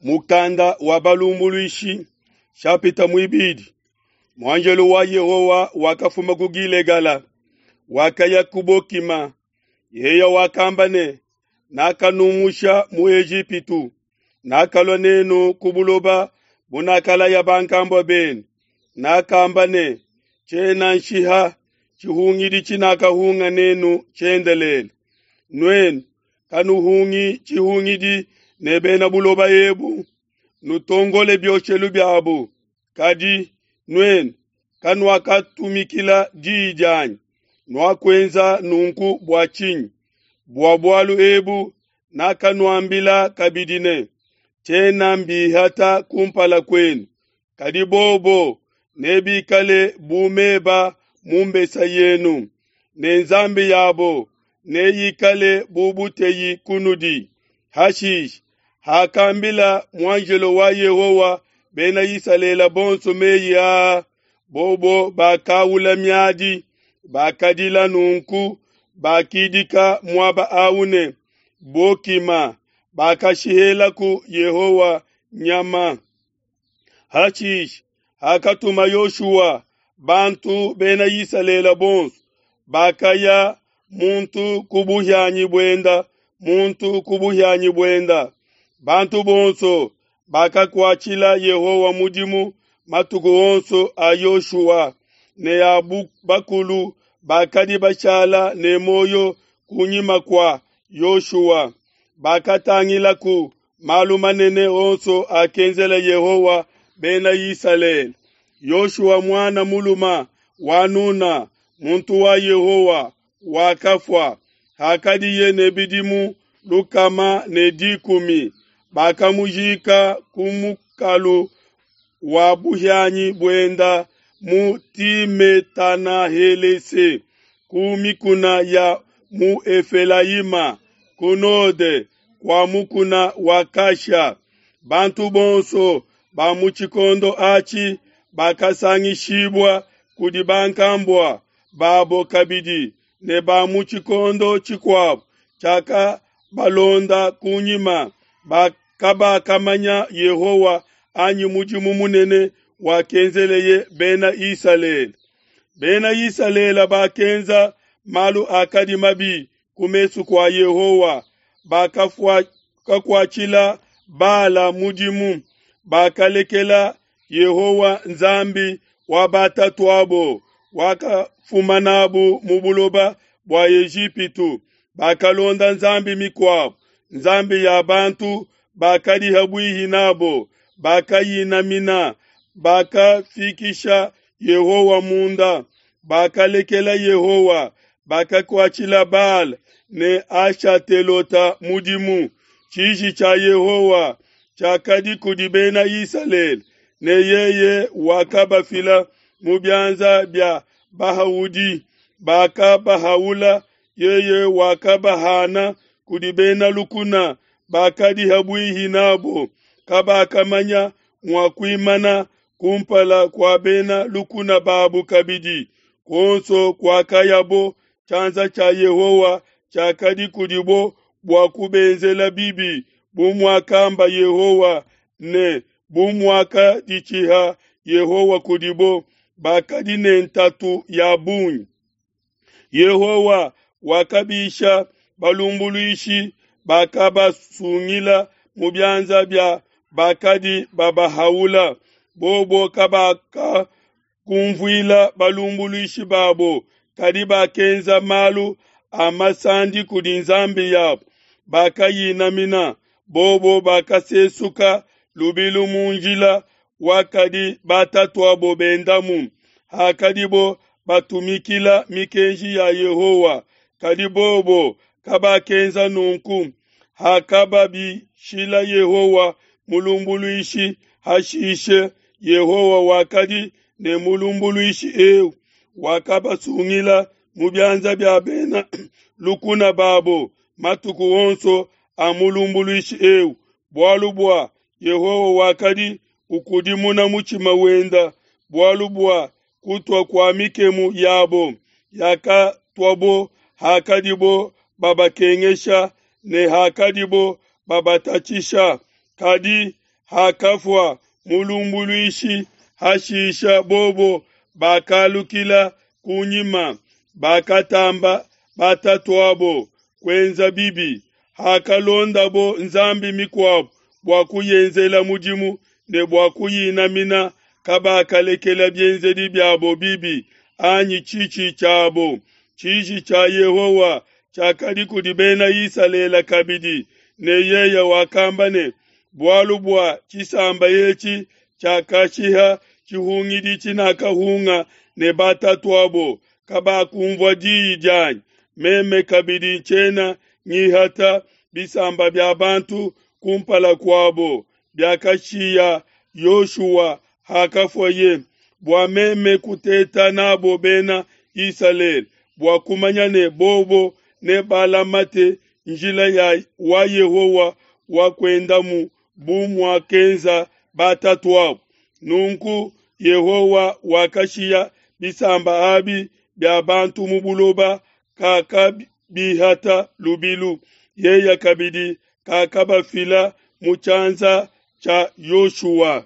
Mukanda wa Balumbuluishi, shapita muibidi. Muanjelo wa Yehowa wakafuma ku Gilegala, wakaya ku Bokima. Yeye wakamba ne, Nakanumusha mu Ejipitu, nakalua nenu ku buloba bunakalaya bankambua benu. Nakamba ne, Tshiena nshiha tshihungidi tshinakahunga nenu tshiendelele. Nuenu kanuhungi tshihungidi ne bena buloba ebu, nutongole bioshelu biabu. Kadi nuenu kanuakatumikila diyi dianyi. Nuakuenza nunku bua tshinyi? Bua bualu ebu nakanuambila kabidi ne, Tshiena mbihata kumpala kuenu, kadi bobo nebikale bu meba mu mbesa yenu, ne nzambi yabo neyikale bu buteyi kunudi. Hashishe, hakambila muanjelo wa Yehowa Bena Isalele bonso meyi aa, bobo bakaula miadi, bakadila nunku, bakidika muaba au ne, Bokima, bakashihelaku Yehowa nyama. Hashishe, hakatuma Yoshua bantu Bena Isalele bonso, bakaya muntu ku buhianyi buenda, muntu ku buhianyi buenda. Bantu bonso bakakuatshila Yehowa mudimu matuku onso a Yoshua ne a bakulu bakadi bashala ne muoyo kunyima kua Yoshua. Bakatangilaku malu manene onso akenzela Yehowa Bena Isalele. Yoshua muana mulume wa Nuna, muntu wa Yehowa, wakafua hakadiye ne bidimu 110. Bakamujika ku mukalu wa buhianyi buenda mu Timetana-Helese ku mikuna ya mu Efelayima ku node kua mukuna wa Kasha. Bantu bonso ba mu tshikondo atshi bakasangishibua kudi bankambua babo kabidi ne ba mu tshikondo tshikuabo tshiakabalonda kunyima kabakamanya Yehowa anyi mudimu munene wakenzeleye Bena Isalele. Bena Isalele bakenza malu akadi mabi ku mesu kua Yehowa, bakakuatshila Bala mudimu, bakalekela Yehowa Nzambi wa batatuabo, wakafuma nabu mu buloba bua Ejipitu. Bakalonda nzambi mikuabo, nzambi ya bantu bakadi habuihi nabo, bakayinamina, bakafikisha Yehowa munda, bakalekela Yehowa, bakakuatshila Bala ne Ashatelota mudimu. Tshiji tshia Yehowa tshiakadi kudi Bena Isalele, ne yeye wakabafila mu bianza bia bahaudi, bakabahaula. Yeye wakabahana kudi bena lukuna bakadi habuihi nabo, kabakamanya mua kuimana kumpala kua bena lukuna babo kabidi. Kuonso kuakayabo, tshianza tshia Yehowa tshiakadi kudibo bua kubenzela bibi, bu muakamba Yehowa ne bu muakaditshiha Yehowa kudibo, bakadi ne ntatu ya bungi. Yehowa wakabisha balumbuluishi bakabasungila mu bianza bia bakadi babahaula. Bobo kabakakumvuila balumbuluishi babo, kadi bakenza malu a masandi kudi nzambi yabo, bakayinamina. Bobo bakasesuka lubilu mu njila wakadi batatuabo bendamu, hakadibo batumikila mikenji ya Yehowa. Kadi bobo kabakenza nunku. Hakababishila Yehowa mulumbuluishi, hashishe Yehowa wakadi ne mulumbuluishi eu, wakabasungila mu bianza bia bena lukuna babo matuku onso a mulumbuluishi eu, bualu bua Yehowa wakadi ukudimuna mutshima wenda, bualu bua kutua kua mikemu yabo yakatuabo hakadibo babakengesha ne hakadibo babatatshisha. Kadi Hakafua mulumbuluishi, hashisha bobo bakalukila ku nyima, bakatamba batatu'abo kuenza bibi. Hakalondabo nzambi mikuabo bua kuyenzela mudimu ne bua kuyinamina, kabakalekela bienzedi biabo bibi anyi tshitshi tshiabo. Tshiji tshia Yehowa tshiakadi kudi Bena Isalele kabidi, ne yeye wakamba ne, Bualu bua tshisamba etshi tshiakashiha tshihungidi tshinakahunga ne batatu'abo, kabakunvua diyi dianyi, meme kabidi tshiena ngihata bisamba bia bantu kumpala kuabo biakashiya Yoshua hakafuaye, bua meme kuteta n'abo Bena Isalele, bua kumanya ne bobo nebalamate njila ya wa Yehowa wa kuendamu bu muakenza batatu'abo. Nunku Yehowa wakashiya bisamba abi bia bantu mu buloba, kakabihata lubilu, yeye kabidi kakabafila mu tshianza tshia Yoshua.